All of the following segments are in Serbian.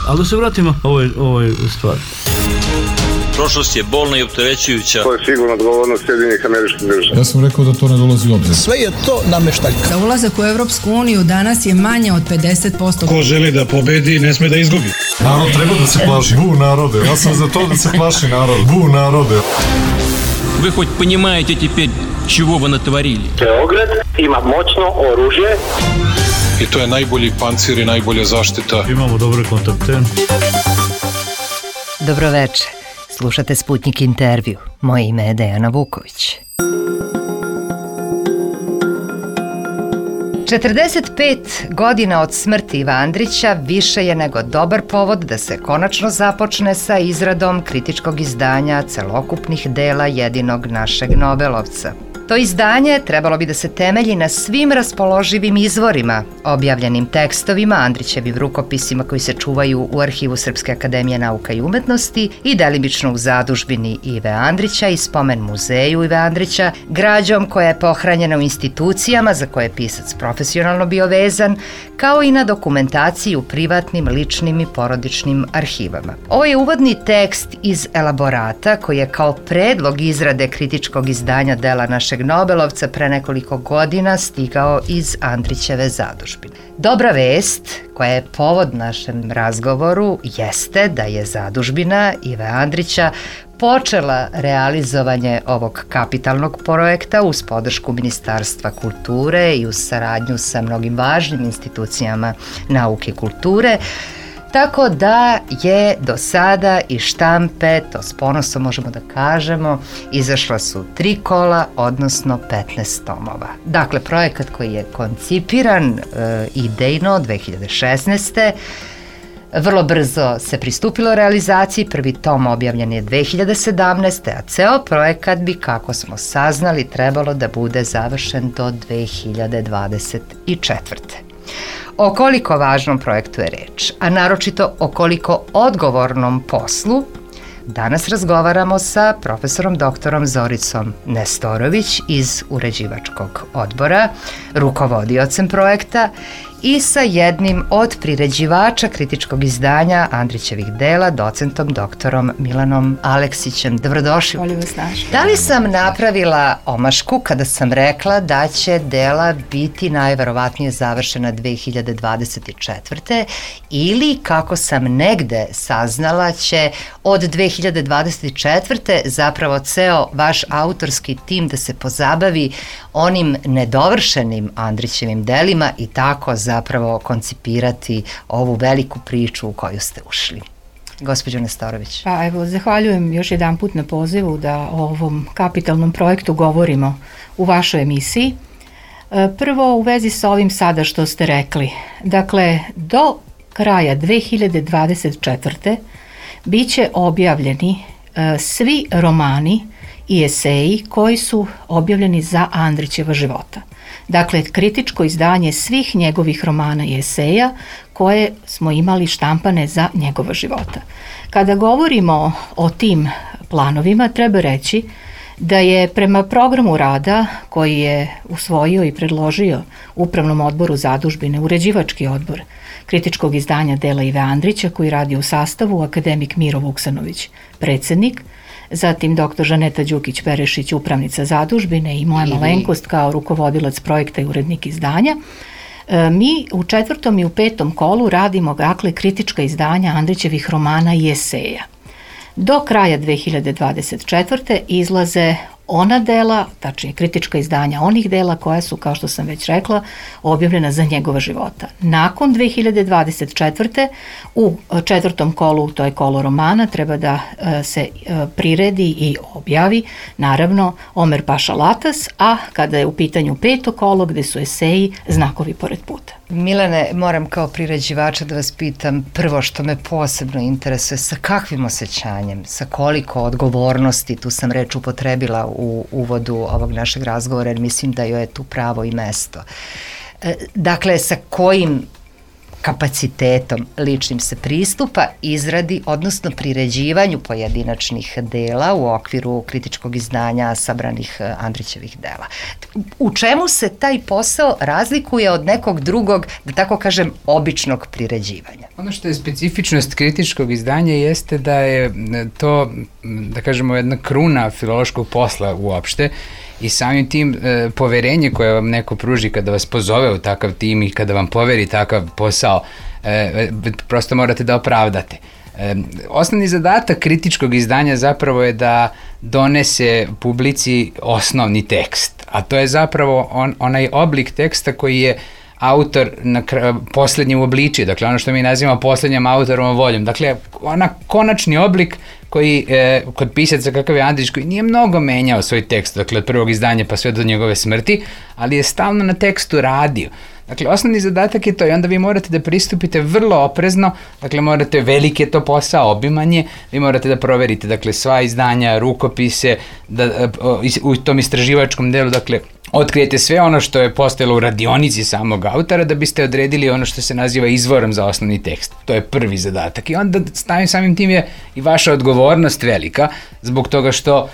Ali da se vratimo ovoj stvari. Prošlost je bolna i opterećujuća. To je sigurno odgovornost Sjedinjenih Američkih Država. Ja sam rekao da to ne dolazi u obzir. Sve je to nameštaljka. Za ulazak u Evropsku uniju danas je manje od 50%. Ko želi da pobedi, ne sme da izgubi. Narod treba da se plaši. Bu narode. Ja sam za to da se plaši narod. Bu narode. Вы хоть понимаете теперь, чего вы натворили? Beograd ima moćno oružje. I to je najbolji pancir i najbolja zaštita. Imamo dobre kontakte. Dobroveče. Slušate Sputnik intervju. Moje ime je Dejana Vuković. 45 godina od smrti Iva Andrića više je nego dobar povod da se konačno započne sa izradom kritičkog izdanja celokupnih dela jedinog našeg Nobelovca. To izdanje trebalo bi da se temelji na svim raspoloživim izvorima, objavljenim tekstovima, Andrićevim rukopisima koji se čuvaju u arhivu Srpske akademije nauka i umetnosti i delimično u zadužbini Ive Andrića i spomen muzeju Ive Andrića, građom koja je pohranjena u institucijama za koje je pisac profesionalno bio vezan, kao i na dokumentaciji u privatnim, ličnim i porodičnim arhivama. Ovo je uvodni tekst iz elaborata koji je kao predlog izrade kritičkog izdanja dela našeg Nobelovca pre nekoliko godina stigao iz Andrićeve zadužbine. Dobra vest, koja je povod našem razgovoru, jeste da je zadužbina Ive Andrića počela realizovanje ovog kapitalnog projekta uz podršku Ministarstva kulture i uz saradnju sa mnogim važnim institucijama nauke i kulture, tako da je do sada iz štampe, to s ponosom možemo da kažemo, izašla su 3 kola, odnosno 15 tomova. Dakle, projekat koji je koncipiran idejno 2016. Vrlo brzo se pristupilo realizaciji, prvi tom objavljen je 2017. a ceo projekat bi, kako smo saznali, trebalo da bude završen do 2024. O koliko važnom projektu je reč, a naročito o koliko odgovornom poslu, danas razgovaramo sa profesorom doktorom Zoricom Nestorović iz uređivačkog odbora, rukovodiocem projekta i sa jednim od priređivača kritičkog izdanja Andrićevih dela, docentom doktorom Milanom Aleksićem. Dobrodošli. Volim vas našli. Da li sam napravila omašku kada sam rekla da će dela biti najverovatnije završena 2024. ili, kako sam negde saznala, će od 2024. zapravo ceo vaš autorski tim da se pozabavi onim nedovršenim Andrićevim delima i tako zapravo koncipirati ovu veliku priču u koju ste ušli. Gospođo Nestorović. Pa evo, zahvaljujem još jedan put na pozivu da o ovom kapitalnom projektu govorimo u vašoj emisiji. Prvo, u vezi sa ovim sada što ste rekli. Dakle, do kraja 2024. biće objavljeni svi romani i eseji koji su objavljeni za Andrićeva života. Dakle, kritičko izdanje svih njegovih romana i eseja koje smo imali štampane za njegova života. Kada govorimo o tim planovima, treba reći da je prema programu rada koji je usvojio i predložio Upravnom odboru zadužbine uređivački odbor kritičkog izdanja dela Ive Andrića, koji radi u sastavu akademik Miro Vuksanović, predsjednik, zatim dr. Žaneta Đukić-Perešić, upravnica zadužbine i moja malenkost kao rukovodilac projekta i urednik izdanja. Mi u 4. i u 5. kolu radimo dakle kritička izdanja Andrićevih romana i eseja. Do kraja 2024. izlaze ona dela, tačnije kritička izdanja onih dela koja su, kao što sam već rekla, objavljena za njegova života. Nakon 2024. u 4. kolu, to je kolo romana, treba da se priredi i objavi, naravno, Omer Paša Latas, a kada je u pitanju 5. kolo, gde su eseji Znakovi pored puta. Milane, moram kao priređivača da vas pitam prvo što me posebno interesuje, sa kakvim osjećanjem, sa koliko odgovornosti, tu sam reč upotrebila u uvodu ovog našeg razgovora jer mislim da joj je tu pravo i mesto. Dakle, sa kojim kapacitetom ličnim se pristupa izradi, odnosno priređivanju pojedinačnih dela u okviru kritičkog izdanja sabranih Andrićevih dela. U čemu se taj posao razlikuje od nekog drugog, da tako kažem, običnog priređivanja? Ono što je specifičnost kritičkog izdanja jeste da je to, da kažemo, jedna kruna filološkog posla uopšte, i samim tim poverenje koje vam neko pruži kada vas pozove u takav tim i kada vam poveri takav posao, prosto morate da opravdate. Osnovni zadatak kritičkog izdanja zapravo je da donese publici osnovni tekst, a to je zapravo onaj oblik teksta koji je autor poslednji uobličio, dakle ono što mi nazivamo poslednjom autorovom voljom, dakle konačni oblik koji kod pisaca kakav je Andrić, koji nije mnogo menjao svoj tekst, dakle od prvog izdanja pa sve do njegove smrti, ali je stalno na tekstu radio. Dakle, osnovni zadatak je to i onda vi morate da pristupite vrlo oprezno, dakle morate, veliki je to posao, obimanje, vi morate da proverite, dakle sva izdanja, rukopise, da u tom istraživačkom delu, dakle otkrijete sve ono što je postojalo u radionici samog autora da biste odredili ono što se naziva izvorom za osnovni tekst. To je prvi zadatak i onda samim tim je i vaša odgovornost velika zbog toga što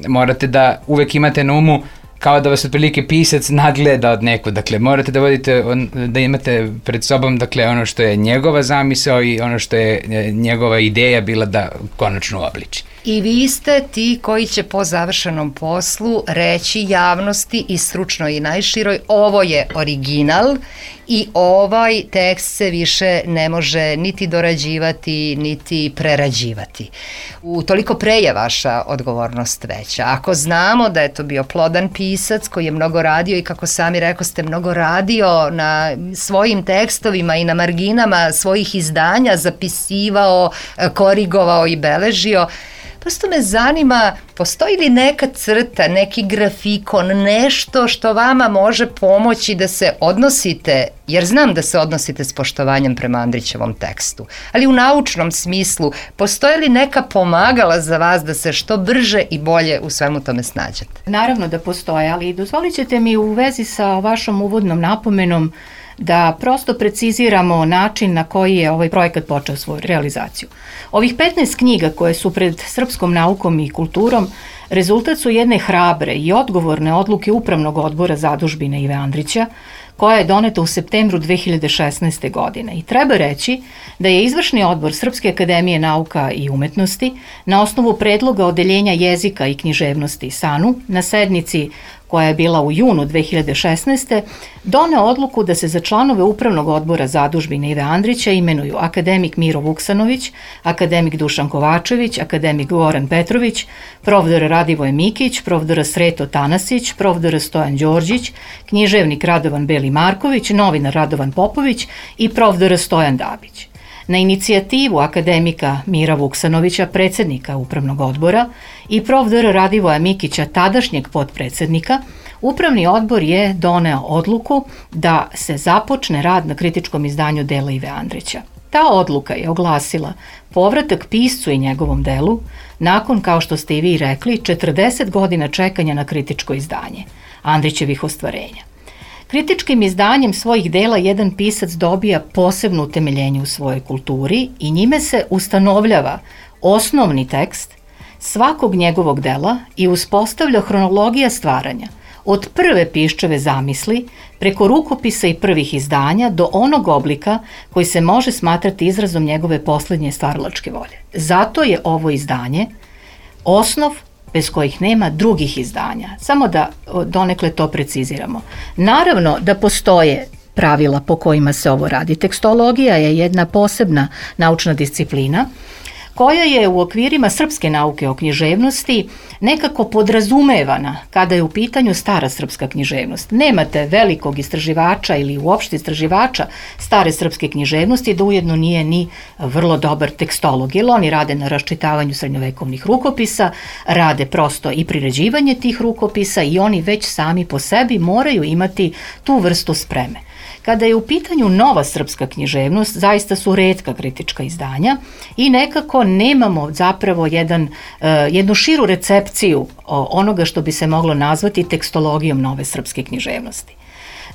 morate da uvek imate na umu kao da vas otprilike pisac nadgleda od neku, dakle morate da vodite, da imate pred sobom dakle ono što je njegova zamisao i ono što je njegova ideja bila da konačno obliči. I vi ste ti koji će po završenom poslu reći javnosti i stručnoj i najširoj ovo je original i ovaj tekst se više ne može niti dorađivati niti prerađivati. Toliko pre je vaša odgovornost veća. Ako znamo da je to bio plodan pisac koji je mnogo radio i kako sami rekoste mnogo radio na svojim tekstovima i na marginama svojih izdanja, zapisivao, korigovao i beležio, prosto me zanima, postoji li neka crta, neki grafikon, nešto što vama može pomoći da se odnosite, jer znam da se odnosite s poštovanjem prema Andrićevom tekstu, ali u naučnom smislu, postoji li neka pomagala za vas da se što brže i bolje u svemu tome snađete? Naravno da postoje, ali dozvolit ćete mi u vezi sa vašom uvodnom napomenom da prosto preciziramo način na koji je ovaj projekat počeo svoju realizaciju. Ovih 15 knjiga koje su pred srpskom naukom i kulturom rezultat su jedne hrabre i odgovorne odluke Upravnog odbora Zadužbine Ive Andrića, koja je doneta u septembru 2016. godine. I treba reći da je Izvršni odbor Srpske akademije nauka i umetnosti na osnovu predloga Odeljenja jezika i književnosti SANU na sednici koja je bila u junu 2016. doneo odluku da se za članove Upravnog odbora Zadužbine Ive Andrića imenuju akademik Miro Vuksanović, akademik Dušan Kovačević, akademik Goran Petrović, profesor Radivoje Mikić, profesor Sreto Tanasić, profesor Stojan Đorđić, književnik Radovan Beli Marković, novinar Radovan Popović i profesor Stojan Dabić. Na inicijativu akademika Mira Vuksanovića, predsjednika Upravnog odbora, i profesora Radivoja Mikića, tadašnjeg potpredsjednika, Upravni odbor je doneo odluku da se započne rad na kritičkom izdanju dela Ive Andrića. Ta odluka je oglasila povratak piscu i njegovom delu nakon, kao što ste i vi rekli, 40 godina čekanja na kritičko izdanje Andrićevih ostvarenja. Kritičkim izdanjem svojih dela jedan pisac dobija posebno utemeljenje u svojoj kulturi i njime se ustanovljava osnovni tekst svakog njegovog dela i uspostavlja hronologija stvaranja, od prve piščeve zamisli, preko rukopisa i prvih izdanja do onog oblika koji se može smatrati izrazom njegove poslednje stvaralačke volje. Zato je ovo izdanje osnov bez kojih nema drugih izdanja. Samo da donekle to preciziramo. Naravno da postoje pravila po kojima se ovo radi. Tekstologija je jedna posebna naučna disciplina koja je u okvirima srpske nauke o književnosti nekako podrazumevana kada je u pitanju stara srpska književnost. Nemate velikog istraživača ili uopšte istraživača stare srpske književnosti da ujedno nije ni vrlo dobar tekstolog, jer oni rade na raščitavanju srednjovekovnih rukopisa, rade prosto i priređivanje tih rukopisa i oni već sami po sebi moraju imati tu vrstu spreme. Kada je u pitanju nova srpska književnost, zaista su retka kritička izdanja i nekako nemamo zapravo jednu širu recepciju onoga što bi se moglo nazvati tekstologijom nove srpske književnosti.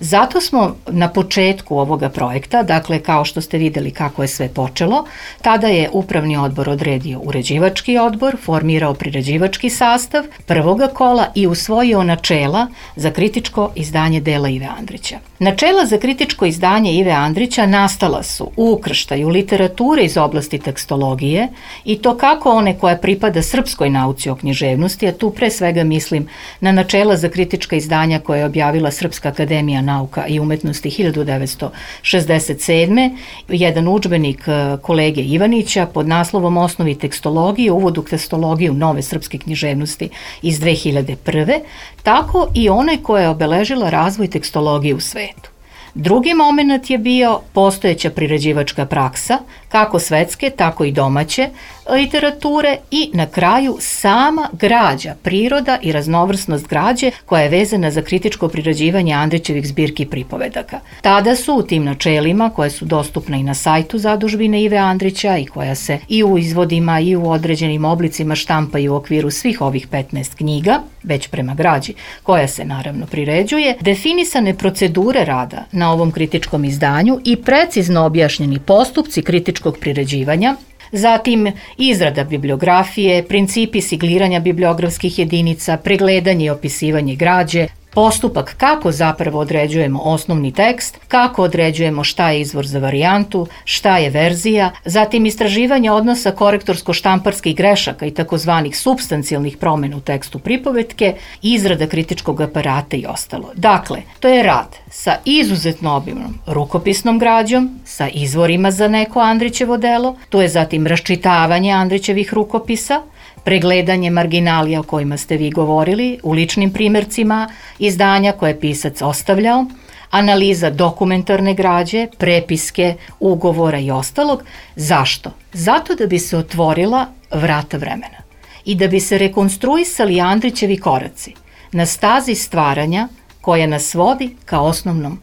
Zato smo na početku ovoga projekta, dakle kao što ste videli kako je sve počelo, tada je upravni odbor odredio uređivački odbor, formirao priređivački sastav prvoga kola i usvojio načela za kritičko izdanje dela Ive Andrića. Načela za kritičko izdanje Ive Andrića nastala su u ukrštaju literature iz oblasti tekstologije i to kako one koja pripada srpskoj nauci o književnosti, a tu pre svega mislim na načela za kritička izdanja koje je objavila Srpska akademija nauka i umetnosti 1967. Jedan udžbenik kolege Ivanića pod naslovom Osnovi tekstologije, uvod u tekstologiju nove srpske književnosti iz 2001. Tako i one koja je obeležila razvoj tekstologije u svetu. Drugi moment je bio postojeća priređivačka praksa, kako svetske, tako i domaće literature i na kraju sama građa, priroda i raznovrsnost građe koja je vezana za kritičko priređivanje Andrićevih zbirki pripovedaka. Tada su u tim načelima, koje su dostupne i na sajtu Zadužbine Ive Andrića i koja se i u izvodima i u određenim oblicima štampaju u okviru svih ovih 15 knjiga, već prema građi, koja se naravno priređuje, definisane procedure rada na ovom kritičkom izdanju i precizno objašnjeni postupci kritičkog priređivanja, zatim izrada bibliografije, principi sigliranja bibliografskih jedinica, pregledanje i opisivanje građe, postupak kako zapravo određujemo osnovni tekst, kako određujemo šta je izvor za varijantu, šta je verzija, zatim istraživanje odnosa korektorsko-štamparskih grešaka i takozvanih supstancijalnih promjena u tekstu pripovetke, izrada kritičkog aparata i ostalo. Dakle, to je rad sa izuzetno obimnom rukopisnom građom, sa izvorima za neko Andrićevo delo, to je zatim raščitavanje Andrićevih rukopisa, pregledanje marginalija o kojima ste vi govorili u ličnim primjercima izdanja koje je pisac ostavljao, analiza dokumentarne građe, prepiske, ugovora i ostalog. Zašto? Zato da bi se otvorila vrata vremena i da bi se rekonstruisali Andrićevi koraci na stazi stvaranja koja nas vodi ka osnovnom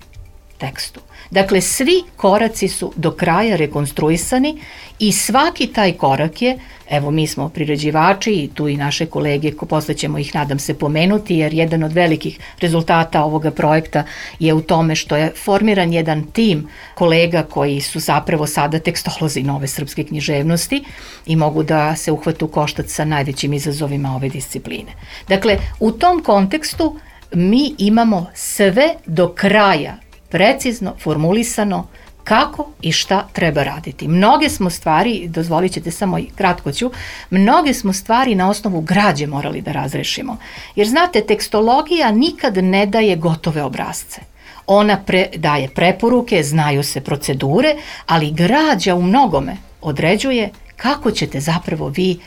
tekstu. Dakle, svi koraci su do kraja rekonstruisani i svaki taj korak je, evo mi smo priređivači i tu i naše kolege, posle ćemo ih nadam se pomenuti, jer jedan od velikih rezultata ovoga projekta je u tome što je formiran jedan tim kolega koji su zapravo sada tekstolozi nove srpske književnosti i mogu da se uhvate u koštac sa najvećim izazovima ove discipline. Dakle, u tom kontekstu mi imamo sve do kraja precizno formulisano kako i šta treba raditi. Mnoge smo stvari, dozvolit ćete samo kratko ću, mnoge smo stvari na osnovu građe morali da razrešimo. Jer znate, tekstologija nikad ne daje gotove obrazce. Ona daje preporuke, znaju se procedure, ali građa u mnogome određuje kako ćete zapravo vi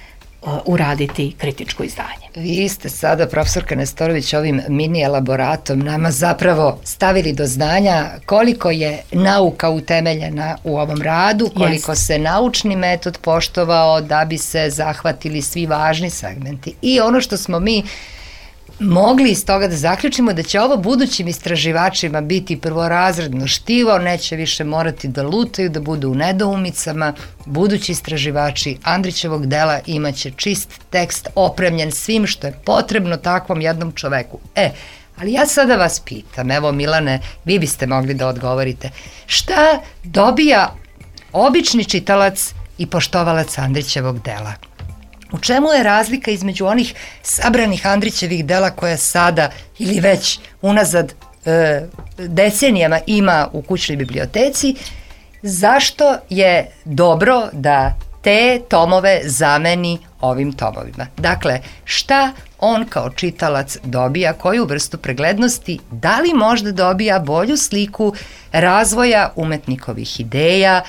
uraditi kritičko izdanje. Vi ste sada, profesorka Nestorović, ovim mini elaboratom nama zapravo stavili do znanja koliko je nauka utemeljena u ovom radu, koliko se naučni metod poštovao da bi se zahvatili svi važni segmenti. I ono što smo mi mogli iz toga da zaključimo da će ovo budućim istraživačima biti prvorazredno štivo, neće više morati da lutaju, da budu u nedoumicama. Budući istraživači Andrićevog dela imaće čist tekst opremljen svim što je potrebno takvom jednom čoveku. Ali ja sada vas pitam, evo Milane, vi biste mogli da odgovorite, šta dobija obični čitalac i poštovalac Andrićevog dela? U čemu je razlika između onih sabranih Andrićevih dela koja sada ili već unazad decenijama ima u kućnoj biblioteci? Zašto je dobro da te tomove zameni ovim tomovima? Dakle, šta on kao čitalac dobija, koju vrstu preglednosti, da li možda dobija bolju sliku razvoja umetnikovih ideja,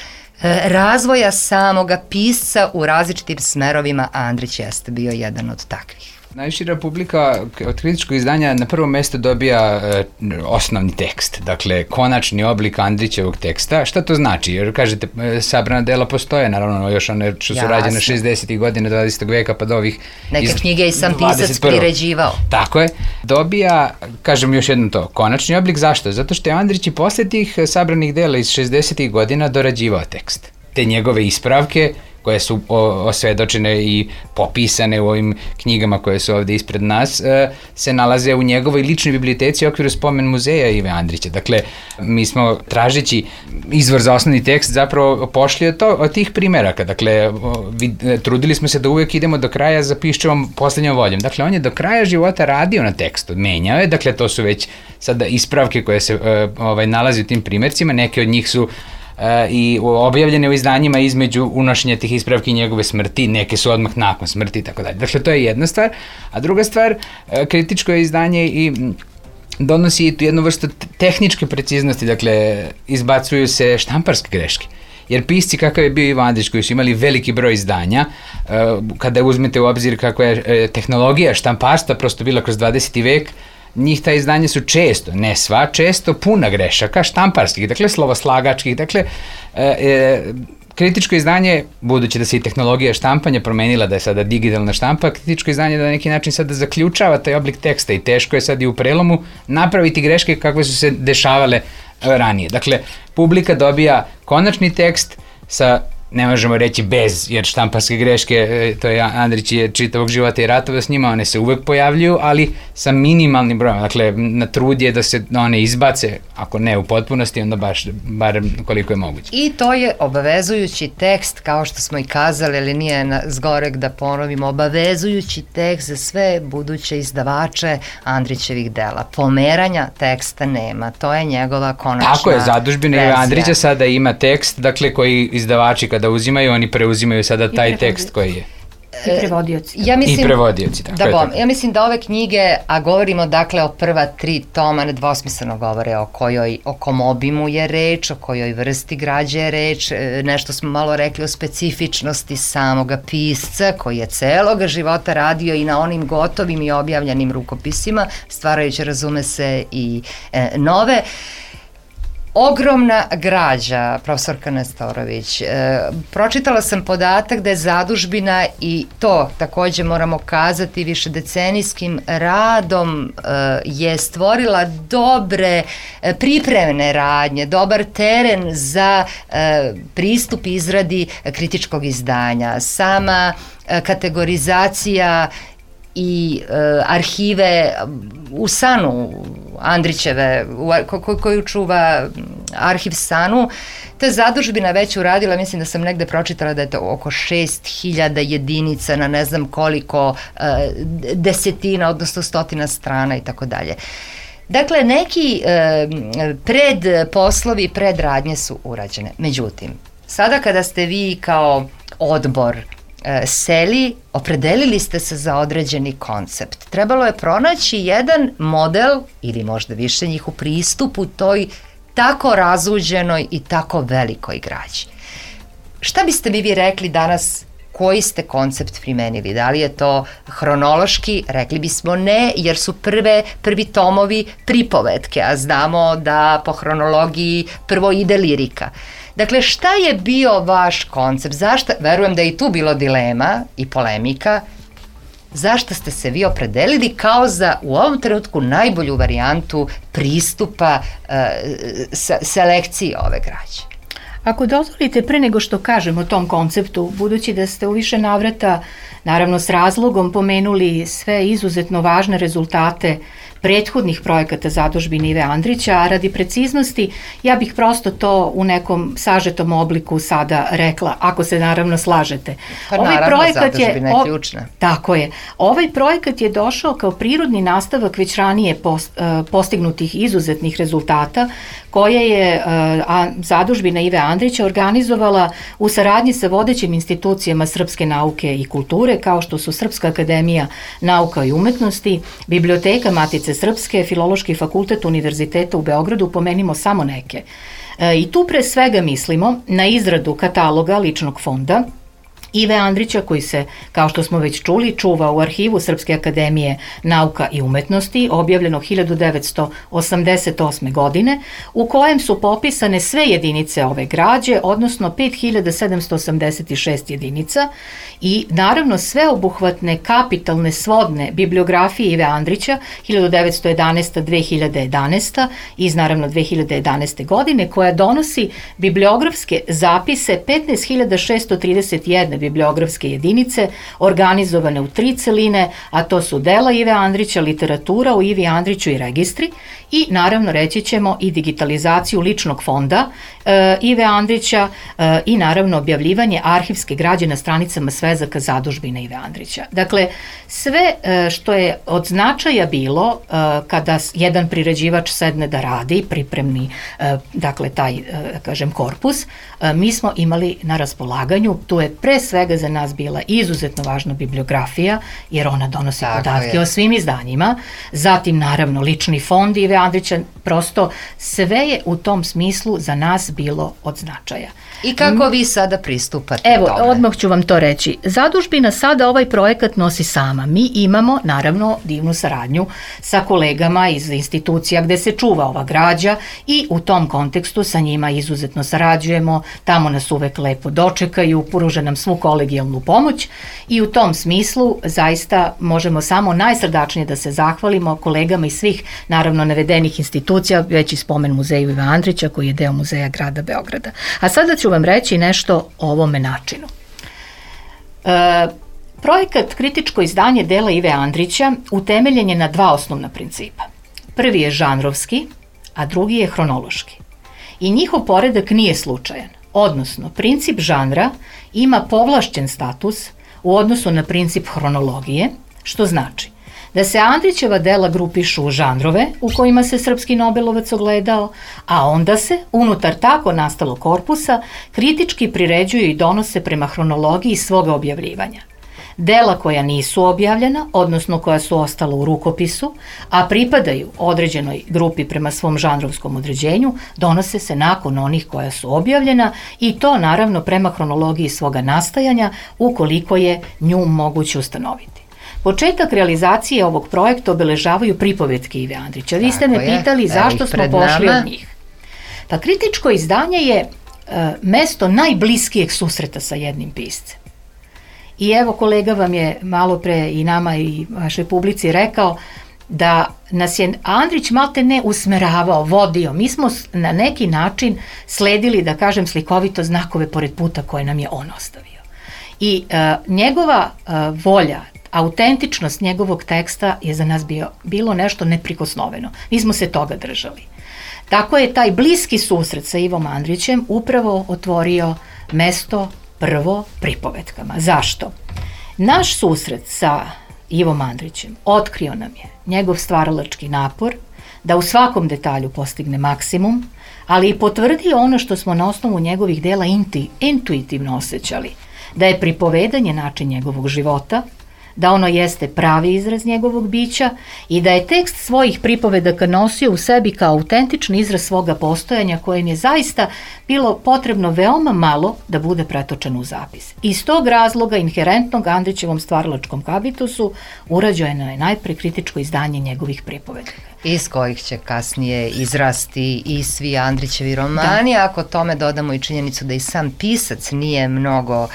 razvoja samoga pisca u različitim smerovima, a Andrić jeste bio jedan od takvih. Najšira publika od kritičkog izdanja na prvo mesto dobija osnovni tekst, dakle konačni oblik Andrićevog teksta. Šta to znači? Jer kažete, sabrana dela postoje, naravno još one što su rađene 60. godina 20. veka pa do ovih neke knjige i sam pisac priređivao. Tako je. Dobija, kažem još jednom to, konačni oblik. Zašto? Zato što je Andrić i posle tih sabranih dela iz 60. godina dorađivao tekst. Te njegove ispravke koje su osvedočene i popisane u ovim knjigama koje su ovde ispred nas, se nalaze u njegovoj ličnoj biblioteci u okviru spomen muzeja Ive Andrića. Dakle, mi smo tražeći izvor za osnovni tekst zapravo pošli od tih primeraka. Dakle, trudili smo se da uvek idemo do kraja za Piščevom poslednjom voljom. Dakle, on je do kraja života radio na tekstu, menjao je, dakle, to su već sada ispravke koje se nalazi u tim primercima, neke od njih su i objavljene u izdanjima između unošenja tih ispravki i njegove smrti, neke su odmah nakon smrti i tako dalje. Dakle, to je jedna stvar. A druga stvar, kritičko je izdanje i donosi i jednu vrstu tehničke preciznosti, dakle, izbacuju se štamparske greške. Jer pisci kakav je bio Ivo Andrić, koji su imali veliki broj izdanja, kada uzmete u obzir kakva je tehnologija štamparstva prosto bila kroz 20. vek, njih ta izdanja su često, ne sva, često puna grešaka štamparskih, dakle slovoslagačkih, dakle kritičko izdanje, budući da se i tehnologija štampanja promenila, da je sada digitalna štampa, kritičko izdanje da na neki način sada zaključava taj oblik teksta i teško je sad i u prelomu napraviti greške kakve su se dešavale ranije. Dakle, publika dobija konačni tekst sa, ne možemo reći bez, jer štamparske greške, to je Andrić je čitavog života i ratova s njima, one se uvek pojavljuju, ali sa minimalnim brojem. Dakle, na trud je da se one izbace, ako ne u potpunosti, onda barem koliko je moguće. I to je obavezujući tekst, kao što smo i kazali, ali nije zgorek da ponovimo, obavezujući tekst za sve buduće izdavače Andrićevih dela. Pomeranja teksta nema, to je njegova konačna Tako je, Zadužbina verzija. Andrića sada ima tekst, dakle, koji izdavači kada uzimaju, oni preuzimaju sada taj tekst koji je. I prevodioci. I prevodioci, tako je. Ja mislim da ove knjige, a govorimo dakle o prva 3 toma, nedvosmisleno govore o kom obimu je reč, o kojoj vrsti građe je reč, nešto smo malo rekli o specifičnosti samoga pisca koji je celoga života radio i na onim gotovim i objavljenim rukopisima, stvarajući, razume se, i nove. Ogromna građa, profesorka Nestorović. Pročitala sam podatak da je Zadužbina, i to takođe moramo kazati, višedecenijskim radom je stvorila dobre pripremne radnje, dobar teren za pristup izradi kritičkog izdanja. Sama kategorizacija i arhive u Sanu Andrićeve, koju čuva arhiv Sanu, ta Zadužbina već uradila, mislim da sam negde pročitala da je to oko 6000 jedinica na ne znam koliko desetina, odnosno stotina strana i tako dalje. Dakle, neki predposlovi, predradnje su urađene. Međutim, sada kada ste vi kao odbor seli, opredelili ste se za određeni koncept. Trebalo je pronaći jedan model, ili možda više njih, u pristupu toj tako razuđenoj i tako velikoj građi. Šta biste vi rekli danas, koji ste koncept primenili? Da li je to hronološki? Rekli bismo ne, jer su prvi tomovi pripovetke, a znamo da po hronologiji prvo ide lirika. Dakle, šta je bio vaš koncept? Zašto, verujem da je i tu bilo dilema i polemika, zašto ste se vi opredelili kao za u ovom trenutku najbolju varijantu pristupa selekciji ove građe? Ako dozvolite, pre nego što kažem o tom konceptu, budući da ste u više navrata, naravno s razlogom, pomenuli sve izuzetno važne rezultate prethodnih projekata Zadužbine Ive Andrića, a radi preciznosti ja bih prosto to u nekom sažetom obliku sada rekla, ako se naravno slažete. Pa naravno, Zadužbina je ključna. Tako je. Ovaj projekat je došao kao prirodni nastavak već ranije postignutih izuzetnih rezultata koje je Zadužbina Ive Andrića organizovala u saradnji sa vodećim institucijama srpske nauke i kulture, kao što su Srpska akademija nauka i umetnosti, Biblioteka Matice Srpske, Filološki fakultet Univerziteta u Beogradu, pomenimo samo neke. I tu pre svega mislimo na izradu kataloga ličnog fonda, Ive Andrića, koji se, kao što smo već čuli, čuva u arhivu Srpske akademije nauka i umetnosti, objavljeno 1988. godine, u kojem su popisane sve jedinice ove građe, odnosno 5786 jedinica i naravno sveobuhvatne kapitalne svodne bibliografije Ive Andrića 1911-2011 iz naravno 2011. godine, koja donosi bibliografske zapise 15.631 bibliografske jedinice organizovane u 3 celine, a to su dela Ive Andrića, literatura o Ivi Andriću i registri i naravno reći ćemo i digitalizaciju ličnog fonda Ive Andrića i naravno objavljivanje arhivske građe na stranicama svezaka zadužbine Ive Andrića. Dakle, sve što je od značaja bilo kada jedan priređivač sedne da radi, pripremi dakle taj, kažem, korpus, mi smo imali na raspolaganju. Tu je pre svega za nas bila izuzetno važna bibliografija, jer ona donosi podatke o svim izdanjima, zatim naravno lični fond Ive Andrića, prosto sve je u tom smislu za nas bilo od značaja. I kako vi sada pristupate tome? Evo, odmah ću vam to reći. Zadužbina sada ovaj projekat nosi sama. Mi imamo naravno divnu saradnju sa kolegama iz institucija gde se čuva ova građa i u tom kontekstu sa njima izuzetno sarađujemo, tamo nas uvek lepo dočekaju, pruže nam svu kolegijalnu pomoć i u tom smislu zaista možemo samo najsrdačnije da se zahvalimo kolegama iz svih naravno navedenih institucija, već i spomen muzeju Iva Andrića koji je deo muzeja grada Beograda. A sada ću vam reći nešto o ovome načinu. Projekat kritičko izdanje dela Ive Andrića utemeljen je na 2 osnovna principa. Prvi je žanrovski, a drugi je hronološki. I njihov poredak nije slučajan, odnosno princip žanra ima povlašćen status u odnosu na princip hronologije, što znači da se Andrićeva dela grupišu u žanrove u kojima se srpski Nobelovac ogledao, a onda se, unutar tako nastalog korpusa, kritički priređuju i donose prema hronologiji svoga objavljivanja. Dela koja nisu objavljena, odnosno koja su ostala u rukopisu, a pripadaju određenoj grupi prema svom žanrovskom određenju, donose se nakon onih koja su objavljena i to naravno prema hronologiji svoga nastajanja ukoliko je nju moguće ustanoviti. Početak realizacije ovog projekta obeležavaju pripovetke Ive Andrića. Vi ste me pitali zašto smo pošli od njih. Pa kritičko izdanje je mesto najbliskijeg susreta sa jednim piscem. I evo kolega vam je malo pre i nama i vašoj publici rekao da nas je Andrić malte ne usmeravao, vodio. Mi smo na neki način sledili, da kažem slikovito, znakove pored puta koje nam je on ostavio. I njegova volja, autentičnost njegovog teksta je za nas bilo nešto neprikosnoveno. Mi smo se toga držali. Tako je taj bliski susret sa Ivom Andrićem upravo otvorio mesto prvo pripovetkama. Zašto? Naš susret sa Ivom Andrićem otkrio nam je njegov stvaralački napor da u svakom detalju postigne maksimum, ali i potvrdio ono što smo na osnovu njegovih dela intuitivno osjećali, da je pripovedanje način njegovog života, da ono jeste pravi izraz njegovog bića i da je tekst svojih pripovedaka nosio u sebi kao autentični izraz svoga postojanja kojem je zaista bilo potrebno veoma malo da bude pretočeno u zapis. Iz tog razloga inherentnog Andrićevom stvaralačkom habitusu urađeno je najpre kritičko izdanje njegovih pripovedaka. Iz kojih će kasnije izrasti i svi Andrićevi romani, ako tome dodamo i činjenicu da i sam pisac nije mnogo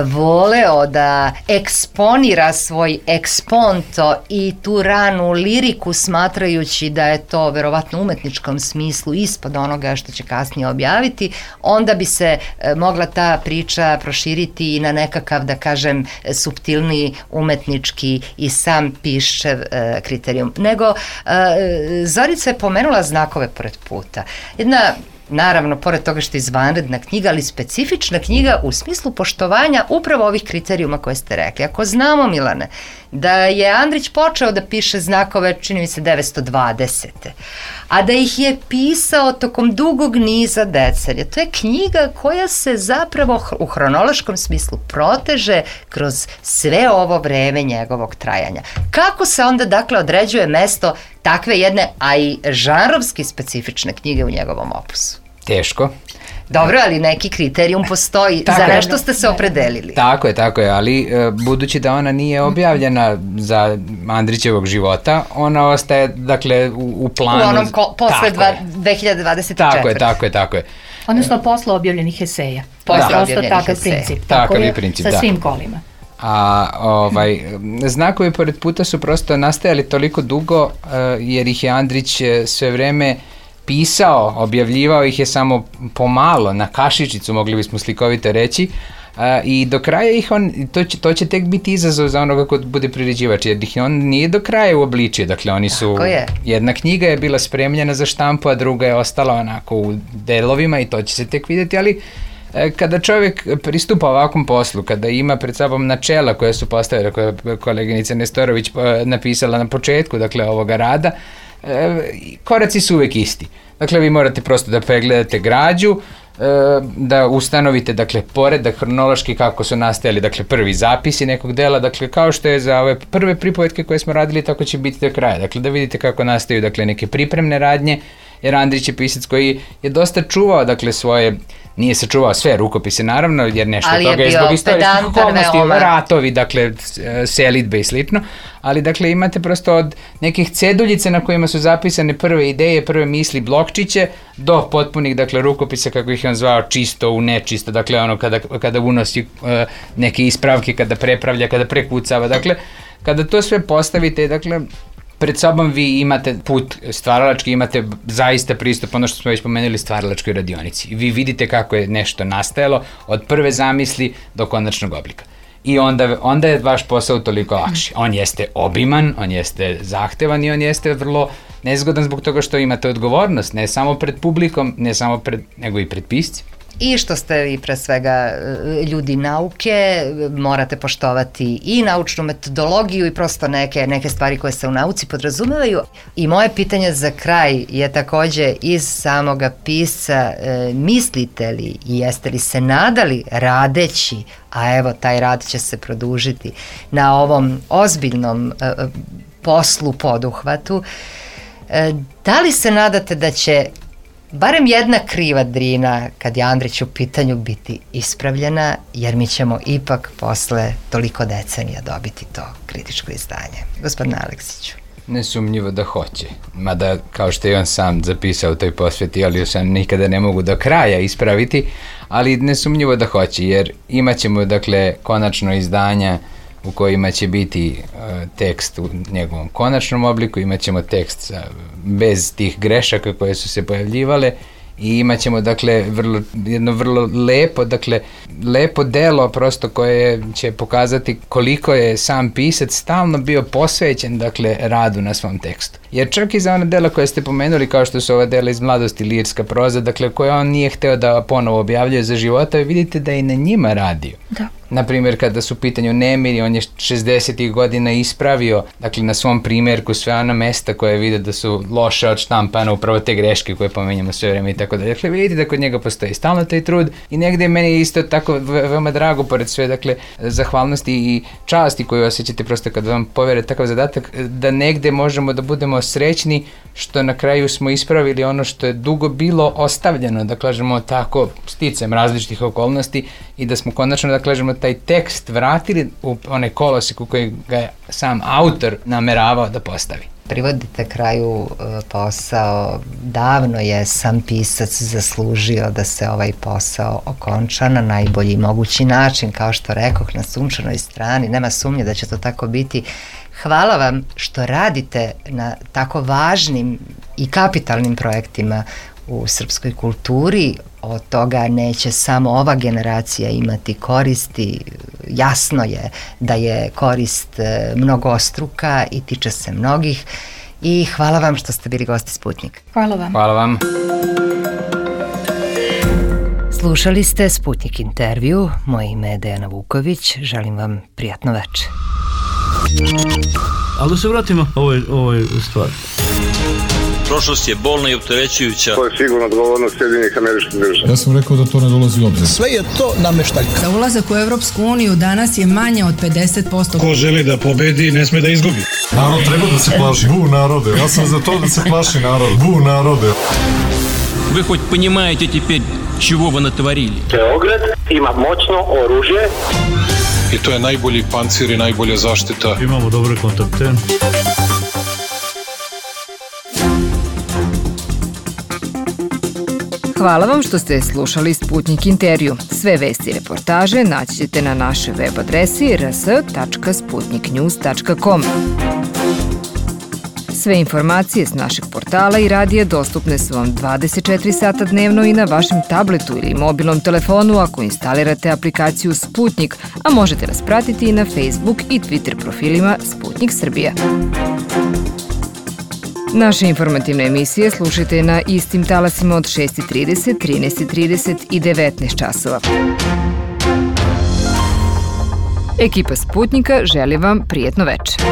voleo da eksponira svoj eksponto i tu ranu liriku smatrajući da je to verovatno u umetničkom smislu ispod onoga što će kasnije objaviti, onda bi se mogla ta priča proširiti i na nekakav, da kažem, suptilniji umetnički i sam Piščev kriterijum. Nego, Zorica je pomenula znakove pored puta. Jedna, naravno, pored toga što je izvanredna knjiga, ali specifična knjiga u smislu poštovanja upravo ovih kriterijuma koje ste rekli. Ako znamo, Milane, da je Andrić počeo da piše znakove, čini mi se 920. A da ih je pisao tokom dugog niza decenija. To je knjiga koja se zapravo u hronološkom smislu proteže kroz sve ovo vreme njegovog trajanja. Kako se onda, dakle, određuje mesto takve jedne, a i žanrovski specifične knjige u njegovom opusu? Teško. Dobro, ali neki kriterijum postoji, za nešto ste se opredelili. Tako je, ali budući da ona nije objavljena za Andrićevog života, ona ostaje, dakle, u planu. U onom posle 2024. Tako je. Odnosno posle objavljenih eseja. Prosto takav princip. Takav je princip, sa svim kolima. A znakovi pored puta su prosto nastajali toliko dugo jer ih je Andrić sve vreme pisao, objavljivao ih je samo pomalo, na kašičicu, mogli bismo slikovito reći, i do kraja ih to će tek biti izazov za onoga ko bude priređivač, jer ih on nije do kraja uobličio, dakle oni su, jedna knjiga je bila spremljena za štampu, a druga je ostala onako u delovima i to će se tek vidjeti, ali kada čovjek pristupa ovakvom poslu, kada ima pred sobom načela koja su postavljena, koja je koleginica Nestorović napisala na početku, dakle, ovoga rada, koraci su uvijek isti. Dakle, vi morate prosto da pregledate građu, da ustanovite, dakle, poredak hronološki kako su nastajali, dakle, prvi zapisi nekog dela, dakle, kao što je za ove prve pripovetke koje smo radili, tako će biti do kraja. Dakle, da vidite kako nastaju, dakle, neke pripremne radnje, jer Andrić je pisac koji je dosta čuvao, dakle, svoje, nije sačuvao sve rukopise, naravno, jer nešto od toga je zbog istorijskih okolnosti, ratovi, dakle, selidbe i slično, ali, dakle, imate prosto od nekih ceduljice na kojima su zapisane prve ideje, prve misli, blokčiće, do potpunih, dakle, rukopisa, kako ih je on zvao, čisto u nečisto, dakle, ono kada unosi neke ispravke, kada prepravlja, kada prekucava, dakle, kada to sve postavite, dakle, pred sobom vi imate put stvaralački, imate zaista pristup, ono što smo već pomenuli, stvaralačkoj radionici. Vi vidite kako je nešto nastajalo od prve zamisli do konačnog oblika. I onda je vaš posao toliko lakši. On jeste obiman, on jeste zahtevan i on jeste vrlo nezgodan zbog toga što imate odgovornost, ne samo pred publikom, nego i pred piscem. I što ste vi pre svega ljudi nauke, morate poštovati i naučnu metodologiju i prosto neke stvari koje se u nauci podrazumevaju. I moje pitanje za kraj je takođe iz samoga pisca, mislite li i jeste li se nadali radeći, a evo taj rad će se produžiti, na ovom ozbiljnom poslu, poduhvatu, da li se nadate da će barem jedna kriva Drina, kad je Andrić u pitanju, biti ispravljena, jer mi ćemo ipak posle toliko decenija dobiti to kritičko izdanje? Gospodine Aleksiću. Nesumnjivo da hoće, mada kao što je on sam zapisao u toj posveti, ali sam nikada ne mogu do kraja ispraviti, ali nesumnjivo da hoće, jer imat ćemo, dakle, konačno izdanja u kojima će biti tekst u njegovom konačnom obliku, imat ćemo tekst bez tih grešaka koje su se pojavljivale i imat ćemo, dakle, jedno vrlo lepo delo prosto koje će pokazati koliko je sam pisac stalno bio posvećen, dakle, radu na svom tekstu. Jer čak i za ona dela koje ste pomenuli, kao što su ova dela iz mladosti, lirska proza, dakle, koje on nije hteo da ponovo objavljuje za života, vidite da i na njima radio. Da. Naprimjer, kada su u pitanju nemiri, on je 60. godina ispravio, dakle, na svom primjerku sve ona mesta koje vide da su loše od štampana, upravo te greške koje pomenjamo sve vreme i tako da. Dakle, vidite da kod njega postoji stalno taj trud i negde meni je isto tako veoma drago, pored sve, dakle, zahvalnosti i časti koju osjećate prosto kad vam povere takav zadatak, da negde možemo da budemo srećni što na kraju smo ispravili ono što je dugo bilo ostavljeno, da kažemo tako, sticajem različitih okolnosti i da smo konačno, da kažemo, taj tekst vratili u onaj kolosek u koji ga je sam autor nameravao da postavi. Privodite kraju posao, davno je sam pisac zaslužio da se ovaj posao okonča na najbolji mogući način, kao što rekoh, na sunčanoj strani, nema sumnje da će to tako biti. Hvala vam što radite na tako važnim i kapitalnim projektima u srpskoj kulturi. Od toga neće samo ova generacija imati koristi, jasno je da je korist mnogostruka i tiče se mnogih i hvala vam što ste bili gosti Sputnik. Hvala vam. Hvala vam. Slušali ste Sputnik intervju, moje ime je Dejana Vuković, želim vam prijatno večer. Ali da se vratimo ovoj stvari. Prošlost je bolna i opterećujuća. To je sigurno odgovornost Sjedinjenih Američkih Država. Ja sam rekao da to ne dolazi u obzir. Sve je to nameštaljka. Za ulazak u Evropsku uniju danas je manje od 50%. Ko želi da pobedi, ne sme da izgubi. Narod treba da se plaši. Bu narode. Ja sam za to da se plaši narod. Bu narode. Вы хоть понимаете теперь, чего вы натворили. Beograd ima moćno oružje. I to je najbolji pancir i najbolja zaštita. Imamo dobre kontakte. Hvala vam što ste slušali Sputnik intervju. Sve vesti i reportaže naći ćete na našoj web adresi rs.sputniknews.com. Sve informacije s našeg portala i radija dostupne su vam 24 sata dnevno i na vašem tabletu ili mobilnom telefonu ako instalirate aplikaciju Sputnik, a možete nas pratiti i na Facebook i Twitter profilima Sputnik Srbija. Naše informativne emisije slušajte na istim talasima od 6:30, 13:30 i 19 časova. Ekipa Sputnika želi vam prijetno večer.